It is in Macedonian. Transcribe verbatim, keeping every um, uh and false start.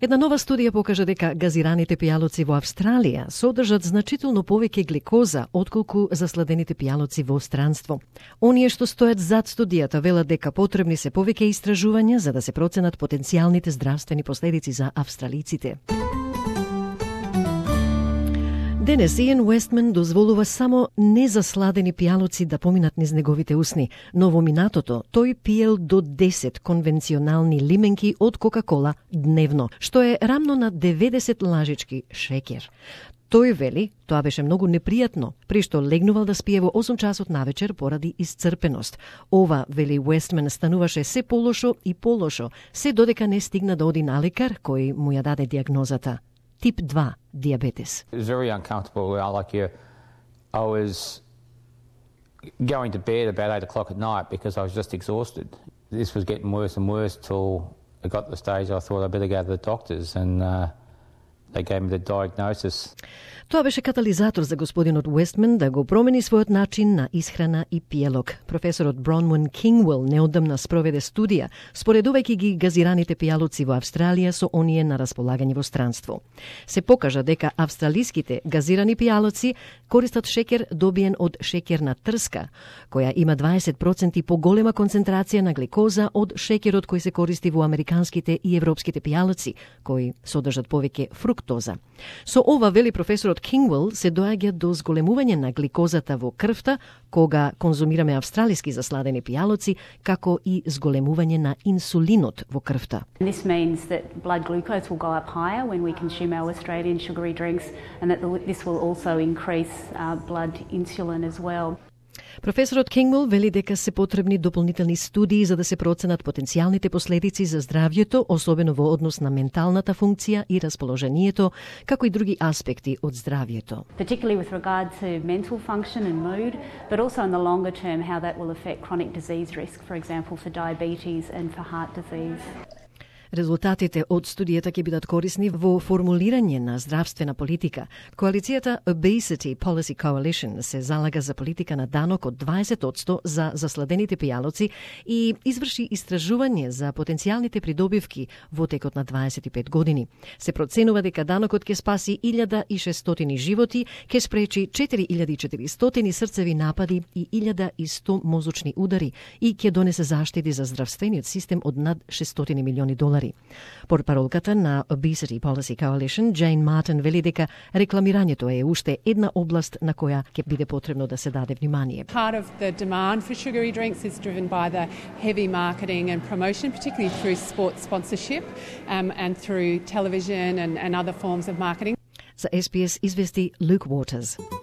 Една нова студија покажа дека газираните пијалоци во Австралија содржат значително повеќе гликоза отколку засладените пијалоци во странство. Оние што стојат зад студијата велат дека потребни се повеќе истражувања за да се проценат потенцијалните здравствени последици за австралиците. Денес Иен Уестман дозволува само незасладени пијалоци да поминат низ неговите усни, но во минатото тој пиел до десет конвенционални лименки од Кока-кола дневно, што е рамно на деветдесет лажички шеќер. Тој вели, тоа беше многу непријатно, при што легнувал да спие во осум часот навечер поради исцрпеност. Ова, вели Уестман, стануваше се полошо и полошо, се додека не стигна да оди на лекар кој му ја даде диагнозата. Тип два диабетес. It was very uncomfortable. Like you, I was going to bed about eight o'clock at night because I was just exhausted. This was getting worse and worse till it got to the stage I thought I better go to the doctors, and uh, they gave me the diagnosis. Тоа беше катализатор за господинот Уестман да го промени својот начин на исхрана и пиелок. Професорот Бронвин Кингуел неодамна спроведе студија, споредувајќи ги газираните пијалоци во Австралија со оние на располагање во странство. Се покажа дека австралиските газирани пијалоци користат шеќер добиен од шеќерна трска, која има дваесет проценти поголема концентрација на гликоза од шеќерот кој се користи во американските и европските пијалоци, кои содржат повеќе фруктоза. Со ова, вели професорот Кингуел, се доаѓа до зголемување на гликозата во крвта кога конзумираме австралиски засладени пијалоци, како и зголемување на инсулинот во крвта. This means that blood glucose will go up higher when we consume our Australian sugary drinks, and that this will also increase uh, blood insulin as well. Професорот Кингуел вели дека се потребни дополнителни студии за да се проценат потенцијалните последици за здравјето, особено во однос на менталната функција и расположението, како и други аспекти од здравјето. Particularly with regard to mental function and mood, but also in the longer term how that will affect chronic disease risk, for example for diabetes and for heart disease. Резултатите од студијата ќе бидат корисни во формулирање на здравствена политика. Коалицијата Obesity Policy Coalition се залага за политика на данок од дваесет одсто за засладените пијалоци и изврши истражување за потенцијалните придобивки во текот на дваесет и пет години. Се проценува дека данокот ќе спаси илјада и шестстотини животи, ќе спречи четири илјади и четиристотини срцеви напади и илјада и сто мозочни удари и ќе донесе заштеди за здравствениот систем од над шестстотини милиони долари. Портпаролката на Obesity Policy Coalition, Jane Martin, вели дека рекламирањето е уште една област на која ќе биде потребно да се даде внимание. Part of the demand for sugary drinks is driven by the heavy marketing and promotion, particularly through sports sponsorship um, and through television and, and other forms of marketing. За Ес Би Ес извести Luke Waters.